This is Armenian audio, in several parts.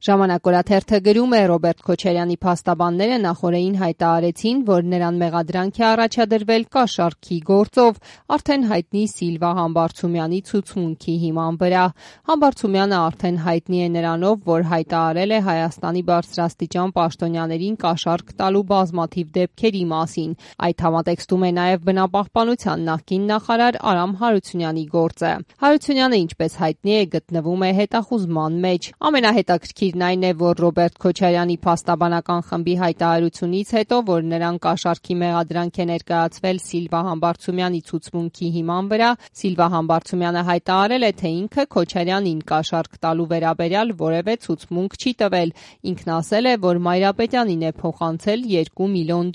Ժամանակ օրաթերթը գրում է Ռոբերտ Քոչարյանի փաստաբանները նախօրեին հայտարարեցին, որ նրան մեղադրանք է առաջադրվել կաշառքի գործով արդեն հայտնի Սիլվա Համբարձումյանի ցուցմունքի հիման վրա։ Համբարձումյանը արդեն հայտնի է նրանով, որ հայտարարել է Հայաստանի բարձրաստիճան պաշտոնյաներին կաշառք տալու բազմաթիվ դեպքերի մասին։ Այդ համատեքստում է նաև բնապահպանության նախկին նախարար Արամ Հարությունյանի գործը։ Հարությունյանը, ինչպես հայտնի է, գտնվում է հետախուզման մեջ։ Ամենահետաքրքիրն այն է, որ Ռոբերտ Քոչարյանի փաստաբանական խմբի հայտարարությունից հետո, որ նրան կաշառքի մեղադրանք է ներկայացվել Սիլվա Համբարձումյանի ցուցմունքի հիման վրա, Սիլվա Համբարձումյանը հայտարարել է, թե ինքը Քոչարյանին կաշառք տալու վերաբերյալ որևէ ցուցմունք չի տվել։ Ինքն ասել է, որ Մայրապետյանին է փոխանցել $2 միլիոն։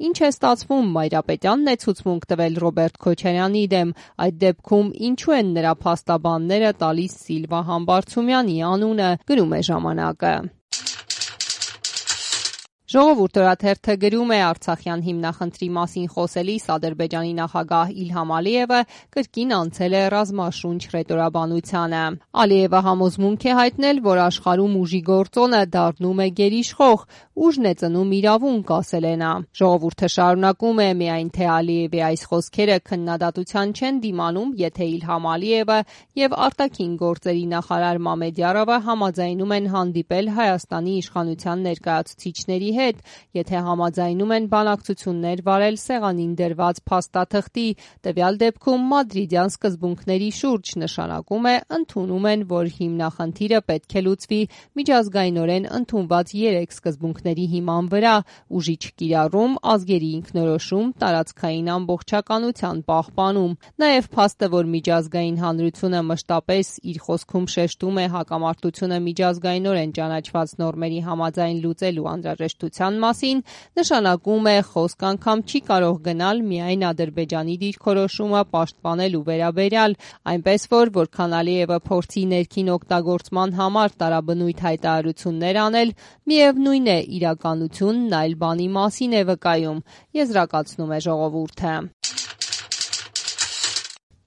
Ինչ է ստացվում, Մայրապետյանն է ցուցմունք տվել Ռոբերտ Քոչարյանի դեմ։ Այդ դեպքում ինչու են նրա փաստաբանները տալիս Սիլվա Համբարձումյանի անունը, գրում է ժամանակը։ Ժողովուրդ օրաթերթը գրում է Արցախյան հիմնախնդրի մասին խոսելիս Ադրբեջանի նախագահ Իլհամ Ալիևը կրկին անցել է ռազմաշունչ ռետորաբանությանը։ Ալիևը համոզմունք է հայտնել, որ աշխարհում ուժի գործոնը դառնում է գերիշխող, ուժն է ծնում իրավունք, ասել է նա։ Ժողովուրդը շարունակում է, միայն թե Ալիևի այս խոսքերը քննադատության չեն դիմանում, եթե Իլհամ Ալիևը եւ արտաքին գործերի նախարար Մամեդյարովը համաձայնում են հանդիպել Հայաստանի իշխանության ներկայացուցիչների հետ, եթե համաձայնում են բանակցություններ վարել սեղանին դրված փաստաթղթի, տվյալ դեպքում մադրիդյան սկզբունքների շուրջ, նշանակում է ընդունում են, որ հիմնախնդիրը պետք է լուծվի միջազգայինորեն ընդունված 3 սկզբունքների հիման վրա՝ ուժի չկիրառում, ազգերի ինքնորոշում, տարածքային ամբողջականության պահպանում։ Նաև փաստը, որ միջազգային հանրությունը մշտապես իր խոսքում շեշտում է հակամարտությունը միջազգայինորեն ճանաչված նորմերի համաձայն լուծելու անհրաժեշտության մասին, նշանակում է խոսք անգամ չի կարող գնալ միայն Ադրբեջանի դիրքորոշումը պաշտպանելու վերաբերյալ, այնպես որ որքան Ալիևը փորձի ներքին օգտագործման համար տարաբնույթ հայտարարություններ անել, միևնույն է իրականությունն այլ բանի մասին է վկայում, եզրակացնում է ժողովուրդը։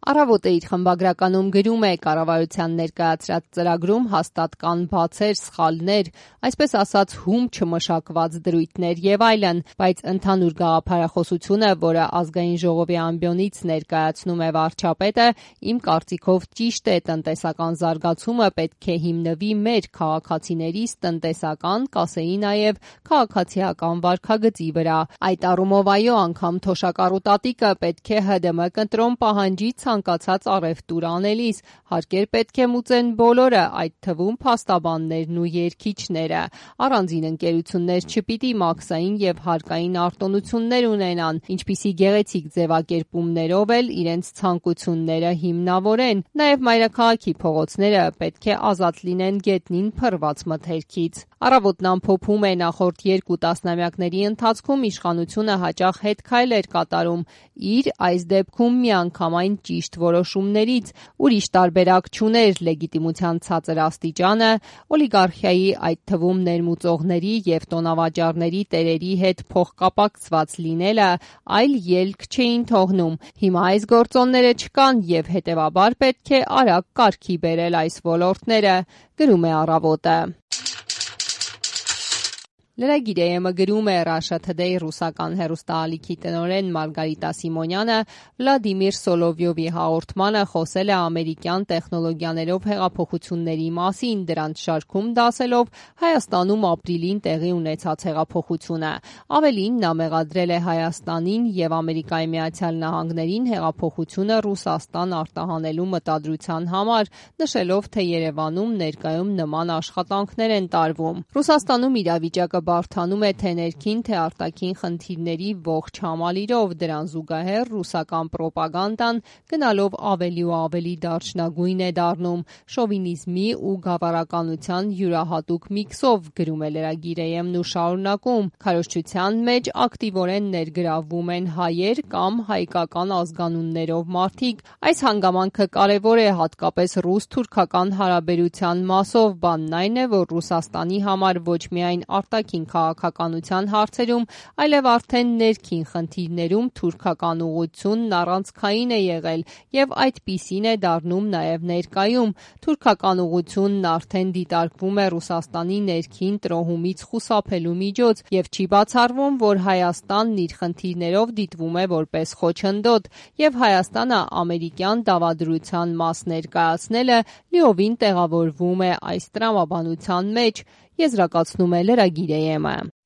Առավոտը իր խմբագրականում գրում է կառավարության ներկայացրած ծրագրում հաստատ կան բացեր, սխալներ, այսպես ասած հում չմշակված դրույթներ եւ այլն, բայց ընդհանուր գաղափարախոսությունը, որը ազգային ժողովի ամբիոնից ներկայացնում է վարչապետը, իմ կարծիքով ճիշտ է, տնտեսական զարգացումը պետք է հիմնվի մեր քաղաքացիներիս տնտեսական, կասեի նաեւ քաղաքացիական վարքագծի վրա։ Այդ առումով այո, անգամ թոշակառուտատիկը պետք է ՀԴՄ կընտրոն պահանջի ցանկացած առևտուր անելիս, հարկեր պետք է մուծեն բոլորը, այդ թվում փաստաբաններն ու երգիչները։ Առանձին ընկերություններ չպիտի մաքսային եւ հարկային արտոնություններ ունենան, ինչպիսի գեղեցիկ ձևակերպումներով էլ իրենց ցանկությունները հիմնավորեն։ Նաեւ մայրաքաղաքի փողոցները պետք է ազատ լինեն գետնին փռված մթերքից։ Առավոտն ամփոփում է նախորդ 2 տասնամյակների ընթացքում իշխանությունը հաճախ հետքայլ էր կատարում իր այս դեպքում միանգամայն ճիշտ որոշումներից, ուրիշ տարբերակ չուներ լեգիտիմության ցածր աստիճանը, օլիգարխիայի, այդ թվում ներմուծողների եւ տոնավաճառների տերերի հետ փոխկապակցված լինելը, այլ ելք չէին թողնում։ Հիմա այս գործոնները չկան եւ հետեւաբար պետք է արագ կարգի բերել այս ոլորտները, գրում է Առավոտը։ Լրագիր.am-ը գրում է Russia Today ռուսական հեռուստաալիքի տնօրեն Մարգարիտա Սիմոնյանը Վլադիմիր Սոլովյովի հաղորդմանը խոսել է ամերիկյան տեխնոլոգիաներով հեղափոխությունների մասին, դրանց շարքում դասելով Հայաստանում ապրիլին տեղի ունեցած հեղափոխությունը։ Ավելին, նա մեղադրել է Հայաստանին եւ Ամերիկայի Միացյալ Նահանգներին հեղափոխությունը Ռուսաստան արտահանելու մտադրության համար, նշելով, թե Երևանում ներկայում նման աշխատանքներ են տարվում։ Ռուսաստանում իրավիճակը բարդանում է թե ներքին, թե արտաքին խնդիրների ողջ համալիրով, դրան զուգահեռ ռուսական պրոպագանդան գնալով ավելի ու ավելի դարչնագույն է դառնում, շովինիզմի ու գավառականության յուրահատուկ միքսով, գրում է Լրագիր.am-ն ու շարունակում, քարոզչության մեջ ակտիվորեն ներգրավվում են հայեր կամ հայկական ազգանուններով մարդիկ։ Այս հանգամանքը կարևոր է հատկապես ռուս-թուրքական հարաբերության մասով, բանն այն է, որ Ռուսաստանի համար ոչ միայն արտաքին ներքին քաղաքականության հարցերում, այլև արդեն ներքին խնդիրներում թուրքական ուղղությունն առանցքային է եղել եւ այդպիսին է դառնում նաեւ ներկայում։ Թուրքական ուղղությունն արդեն դիտարկվում է Ռուսաստանի ներքին տրոհումից խուսափելու միջոց եւ չի բացառվում, որ Հայաստանն իր խնդիրներով դիտվում է որպես խոչընդոտ եւ Հայաստանը ամերիկյան դավադրության մաս ներկայացնելը լիովին տեղավորվում է այս տրամաբանության մեջ, եզրակացնում է լրագիր ԵՄ-ը։